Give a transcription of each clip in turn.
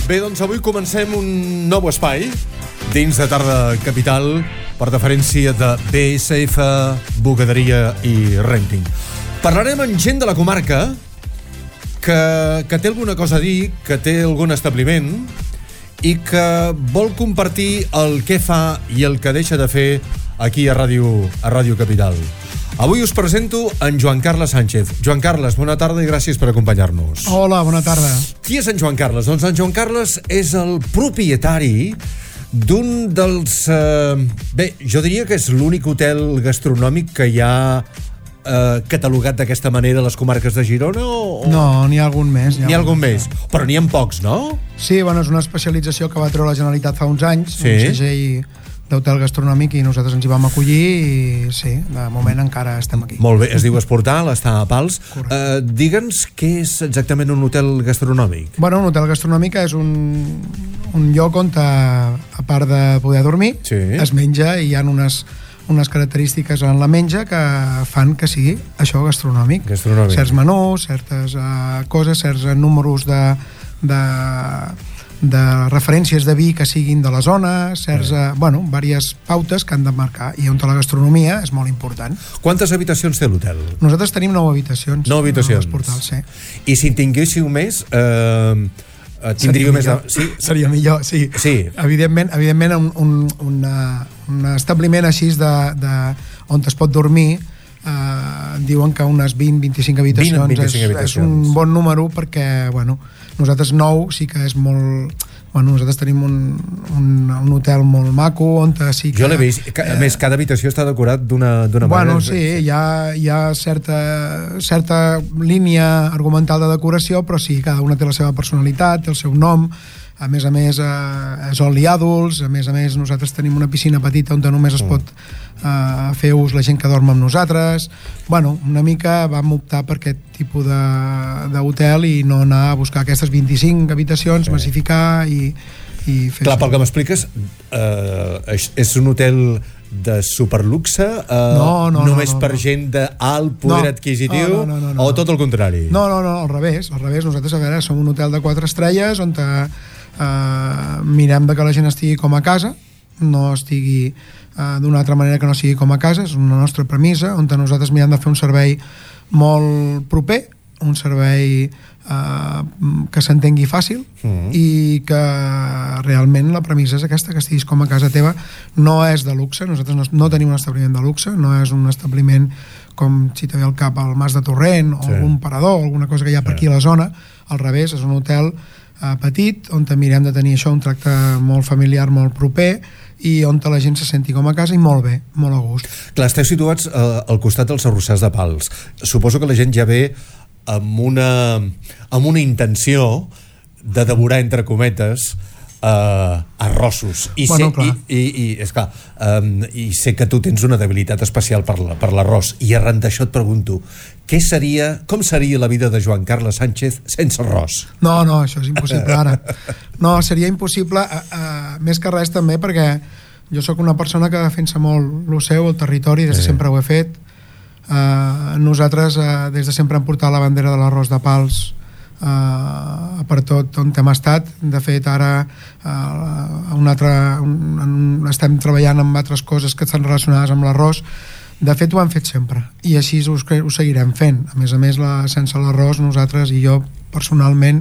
Bé, doncs avui comencem un nou espai dins de Tarda Capital per deferència de BSF, Bugaderia i Renting. Parlarem amb gent de la comarca que té alguna cosa a dir, que té algun establiment i que vol compartir el que fa i el que deixa de fer aquí a Ràdio Capital. Avui us presento en Joan Carles Sánchez. Joan Carles, bona tarda i gràcies per acompanyar-nos. Hola, bona tarda. Qui és en Joan Carles? Doncs en Joan Carles és el propietari d'un dels... bé, jo diria que és l'únic hotel gastronòmic que hi ha catalogat d'aquesta manera a les comarques de Girona o... No, n'hi ha algun més. N'hi ha algun més, però n'hi ha pocs, no? Sí, bueno, és una especialització que va treure la Generalitat fa uns anys, sí. Un segell d'hotel gastronòmic, i nosaltres ens hi vam acollir i sí, de moment encara estem aquí. Molt bé, es diu Esportal, està a Pals. Digue'ns què és exactament un hotel gastronòmic. Bueno, un hotel gastronòmic és un lloc on, a part de poder dormir, sí, es menja, i hi ha unes característiques en la menja que fan que sigui això gastronòmic. Certs menús, certes coses, certs números de referències de vi que siguin de la zona, certs, diverses pautes que han de marcar, i on la gastronomia és molt important. Quantes habitacions té l'hotel? Nosaltres tenim 9 habitacions. 9 habitacions. Portal, sí. I si en tinguéssiu més... tindríeu més... Sí? Seria millor, sí. Sí. Evidentment un establiment així on es pot dormir, diuen que unes 20-25 habitacions és un bon número, perquè nosaltres 9 sí que és molt... nosaltres tenim un hotel molt maco on sí que... Jo l'he vist, a més cada habitació està decorat d'una manera... Sí, hi ha certa línia argumental de decoració, però sí, cada una té la seva personalitat, té el seu nom. A més, és all adults. A més, nosaltres tenim una piscina petita on només es pot fer ús la gent que dorm amb nosaltres. Una mica vam optar per aquest tipus d'hotel i no anar a buscar aquestes 25 habitacions, massificar i fer... Clar, pel que m'expliques, és un hotel de superluxe? Només per gent d'alt poder adquisitiu? O tot el contrari? No, al revés. Nosaltres, som un hotel de 4 estrelles on mirem que la gent estigui com a casa, no estigui d'una altra manera que no sigui com a casa. És una nostra premissa, on nosaltres mirem de fer un servei molt proper, un servei que s'entengui fàcil, i que realment la premissa és aquesta, que estiguis com a casa teva. No és de luxe, nosaltres no tenim un establiment de luxe, no és un establiment com si te ve al cap al Mas de Torrent o algun parador, alguna cosa que hi ha per aquí a la zona. Al revés, és un hotel petit, on mirem de tenir això, un tracte molt familiar, molt proper, i on la gent se senti com a casa i molt bé, molt a gust. Clar, esteu situats al costat dels Arrossars de Pals. Suposo que la gent ja ve amb una intenció de devorar, entre cometes, arrossos. I sé que tu tens una debilitat especial per l'arròs, i arran d'això et pregunto, com seria la vida de Joan Carles Sánchez sense arròs? No, això és impossible ara. No, seria impossible, més que res també perquè jo sóc una persona que defensa molt el seu, el territori, des de sempre ho he fet. Nosaltres des de sempre hem portat la bandera de l'arròs de Pals per tot on hem estat. De fet, ara estem treballant amb altres coses que estan relacionades amb l'arròs. De fet, ho hem fet sempre, i així ho seguirem fent. A més, sense l'arròs, nosaltres i jo personalment,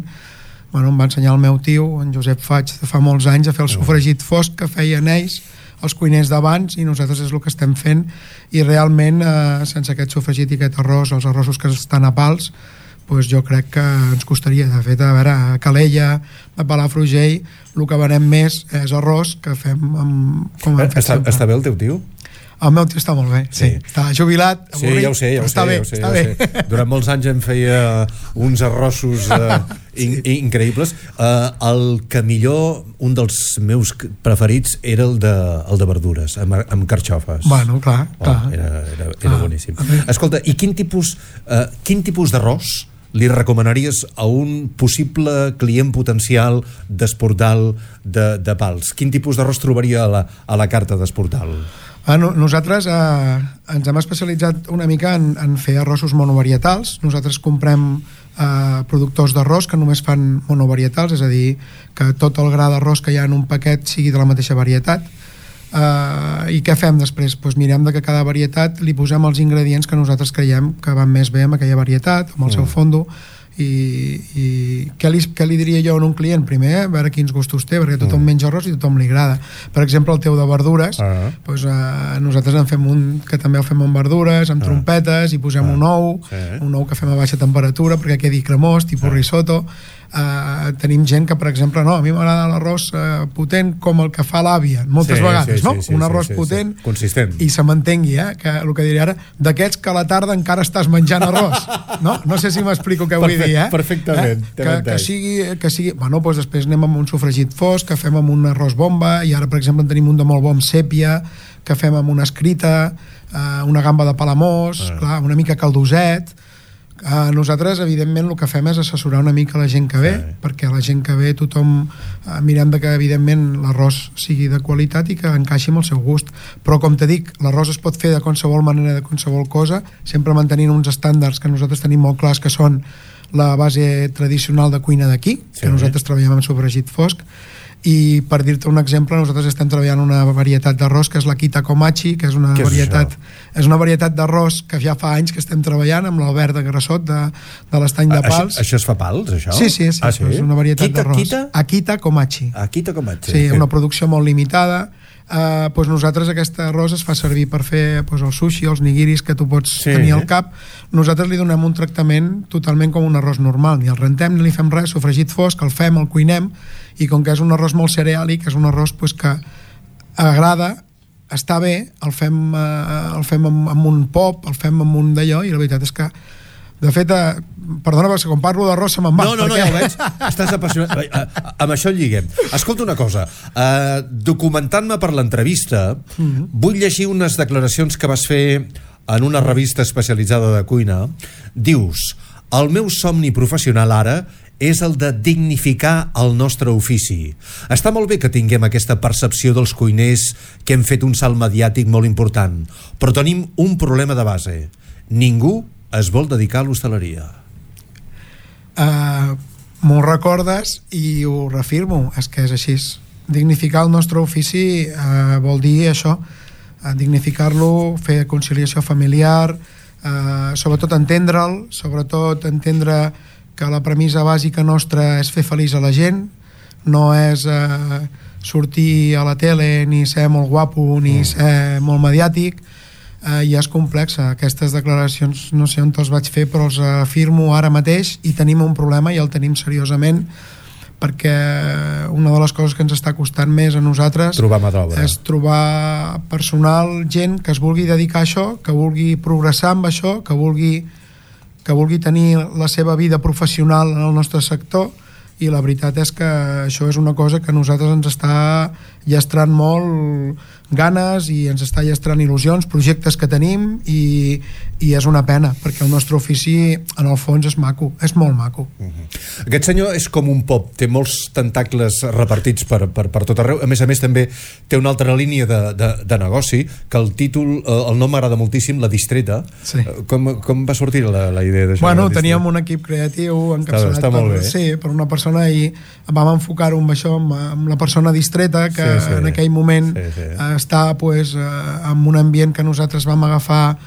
em va ensenyar el meu tio, en Josep Faig, de fa molts anys, a fer el sofregit fosc que feien ells, els cuiners d'abans, i nosaltres és el que estem fent. I realment, sense aquest sofregit i aquest arròs, els arrossos que estan a Pals, jo crec que ens costaria. De fet, a Calella, a Palafrugell, el que venem més és arròs, que fem com hem fet sempre. Està bé el teu tio? El meu tio està molt bé, sí. Està jubilat, avorrit, ja ho sé, està bé. Durant molts anys em feia uns arrossos increïbles. El que millor, un dels meus preferits, era el de verdures, amb carxofes. Bueno, clar. Era boníssim. Escolta, i quin tipus d'arròs li recomanaries a un possible client potencial d'Esportal de Pals? Quin tipus d'arròs trobaria a la carta d'Esportal? Nosaltres ens hem especialitzat una mica en fer arrossos monovarietals. Nosaltres comprem productors d'arròs que només fan monovarietals, és a dir, que tot el gra d'arròs que hi ha en un paquet sigui de la mateixa varietat. I què fem després? Pues mirem de que cada varietat li posem els ingredients que nosaltres creiem que van més bé amb aquella varietat, amb el seu fondo. I què li diria jo a un client? Primer, a veure quins gustos té, perquè tothom menja arròs i tothom li agrada. Per exemple, el teu de verdures, nosaltres en fem un que també el fem amb verdures, amb trompetes, i posem un ou que fem a baixa temperatura perquè quedi cremós, tipus risotto. Tenim gent que, per exemple, a mi m'agrada l'arròs potent com el que fa l'àvia moltes vegades, un arròs potent consistent, i se m'entengui, que el que diré ara, d'aquests que a la tarda encara estàs menjant arròs, no sé si m'explico què vull dir, perfectament, que sigui doncs després anem amb un sofregit fosc que fem amb un arròs bomba, i ara per exemple en tenim un de molt bo amb sèpia que fem amb una escrita, una gamba de palamós, clar, una mica caldoset. Nosaltres evidentment el que fem és assessorar una mica la gent que ve, perquè la gent que ve tothom mirem que evidentment l'arròs sigui de qualitat i que encaixi amb el seu gust, però com te dic, l'arròs es pot fer de qualsevol manera, de qualsevol cosa, sempre mantenint uns estàndards que nosaltres tenim molt clars, que són la base tradicional de cuina d'aquí, que nosaltres treballem amb sofregit fosc. I per dir-te un exemple, nosaltres estem treballant una varietat d'arròs que és l'Akita Komachi, que és una varietat d'arròs que ja fa anys que estem treballant amb l'Albert de Grassot de l'Estany de Pals. Això es fa pals, això? Sí, és una varietat d'arròs. Akita Komachi. Sí, una producció molt limitada. Nosaltres aquest arròs es fa servir per fer el sushi, els nigiris que tu pots tenir al cap. Nosaltres li donem un tractament totalment com un arròs normal, ni el rentem ni li fem res, sofregit fosc, el fem, el cuinem, i com que és un arròs molt cereàlic, és un arròs que agrada, està bé, el fem amb un pop, el fem amb un d'allò, i la veritat és que de fet, perdona, perquè quan parlo d'arròs se me'n va. No, ja ho veig, estàs apassionat. Amb això el lliguem. Escolta una cosa, documentant-me per l'entrevista, vull llegir unes declaracions que vas fer en una revista especialitzada de cuina. Dius: el meu somni professional ara és el de dignificar el nostre ofici. Està molt bé que tinguem aquesta percepció dels cuiners que hem fet un salt mediàtic molt important, però tenim un problema de base. Ningú es vol dedicar a l'hostaleria. M'ho recordes i ho reafirmo, és que és així. Dignificar el nostre ofici vol dir això, dignificar-lo, fer conciliació familiar, sobretot entendre'l, sobretot entendre que la premissa bàsica nostra és fer feliç a la gent, no és sortir a la tele ni ser molt guapo ni ser molt mediàtic, i és complexa. Aquestes declaracions no sé on te'ls vaig fer, però els afirmo ara mateix, i tenim un problema i el tenim seriosament, perquè una de les coses que ens està costant més a nosaltres és trobar personal, gent que es vulgui dedicar a això, que vulgui progressar amb això, que vulgui tenir la seva vida professional en el nostre sector, i la veritat és que això és una cosa que a nosaltres ens està llastrant molt ganes i ens està llastrant il·lusions, projectes que tenim, i és una pena, perquè el nostre ofici en el fons és maco, és molt maco. Aquest senyor és com un pop, té molts tentacles repartits per tot arreu. A més també té una altra línia de negoci, que el títol, el nom m'agrada moltíssim, La Distreta. Com va sortir la idea d'això? Bueno, teníem un equip creatiu encapçalat per una persona, i vam enfocar-ho amb això, amb la persona distreta, que en aquell moment està en un ambient que nosaltres vam agafar,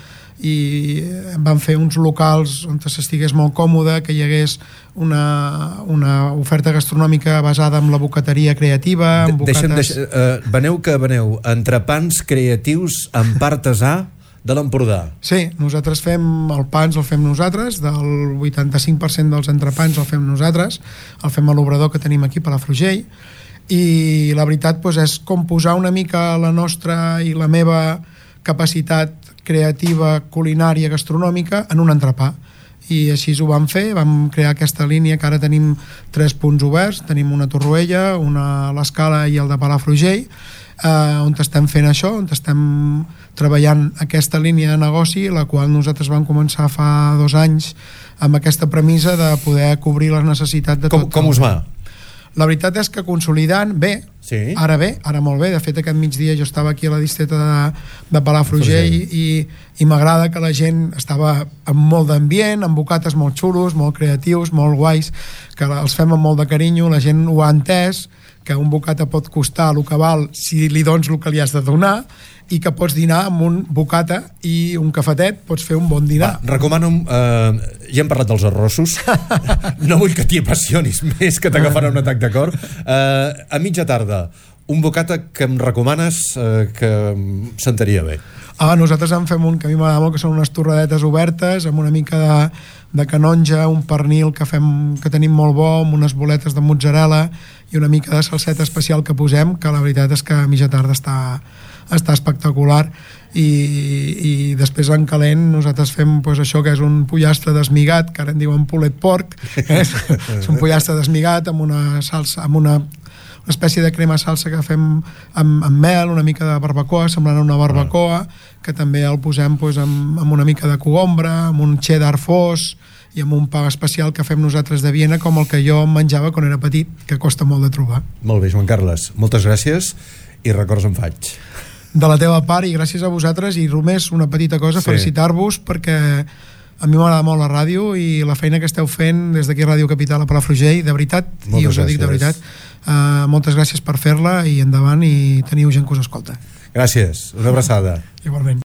i vam fer uns locals on s'estigués molt còmode, que hi hagués una oferta gastronòmica basada en la bocateria creativa, amb bocates... Veneu entrepans creatius amb pa artesà de l'Empordà. Sí, nosaltres fem el pans, el fem nosaltres, del 85% dels entrepans el fem nosaltres, el fem a l'obrador que tenim aquí a Palafrugell, i la veritat és com posar una mica la nostra i la meva capacitat creativa, culinària, gastronòmica en un entrepà, i així ho vam fer. Vam crear aquesta línia que ara tenim 3 punts oberts, tenim una a Torroella, una a l'Escala i el de Palafrugell, on estem fent això, on estem treballant aquesta línia de negoci, la qual nosaltres vam començar fa 2 anys amb aquesta premissa de poder cobrir les necessitats de tot. Com us va? La veritat és que consolidant bé, Sí. ara molt bé. De fet, aquest migdia jo estava aquí a la distreta de Palafrugell i m'agrada que la gent estava amb molt d'ambient, amb bocates molt xulos, molt creatius, molt guais, que els fem amb molt de carinyo, la gent ho ha entès, que un bocata pot costar el que val si li dones el que li has de donar, i que pots dinar amb un bocata i un cafetet, pots fer un bon dinar. Recomano, ja hem parlat dels arrossos, no vull que t'hi apassionis més, que t'agafarà un atac de cor. A mitja tarda, un bocata que em recomanes que em sentaria bé. Nosaltres en fem un que a mi m'agrada molt, que són unes torradetes obertes amb una mica de canonja, un pernil que tenim molt bo, amb unes boletes de mozzarella i una mica de salseta especial que posem, que la veritat és que a mitja tarda està espectacular. I després en calent nosaltres fem això, que és un pollastre desmigat, que ara en diuen pulled pork, és un pollastre desmigat amb una salsa, amb una espècie de crema salsa que fem amb mel, una mica de barbacoa, semblant a una barbacoa, que també el posem amb una mica de cogombra, amb un cheddar fos i amb un pa especial que fem nosaltres de Viena, com el que jo menjava quan era petit, que costa molt de trobar. Molt bé, Joan Carles, moltes gràcies i records en faig. De la teva part, i gràcies a vosaltres, i només una petita cosa, felicitar-vos, perquè a mi m'agrada molt la ràdio i la feina que esteu fent des d'aquí Ràdio Capital a Palafrugell, de veritat, i us ho dic de veritat, moltes gràcies per fer-la, i endavant, i teniu gent que us escolta. Gràcies, una abraçada. Igualment.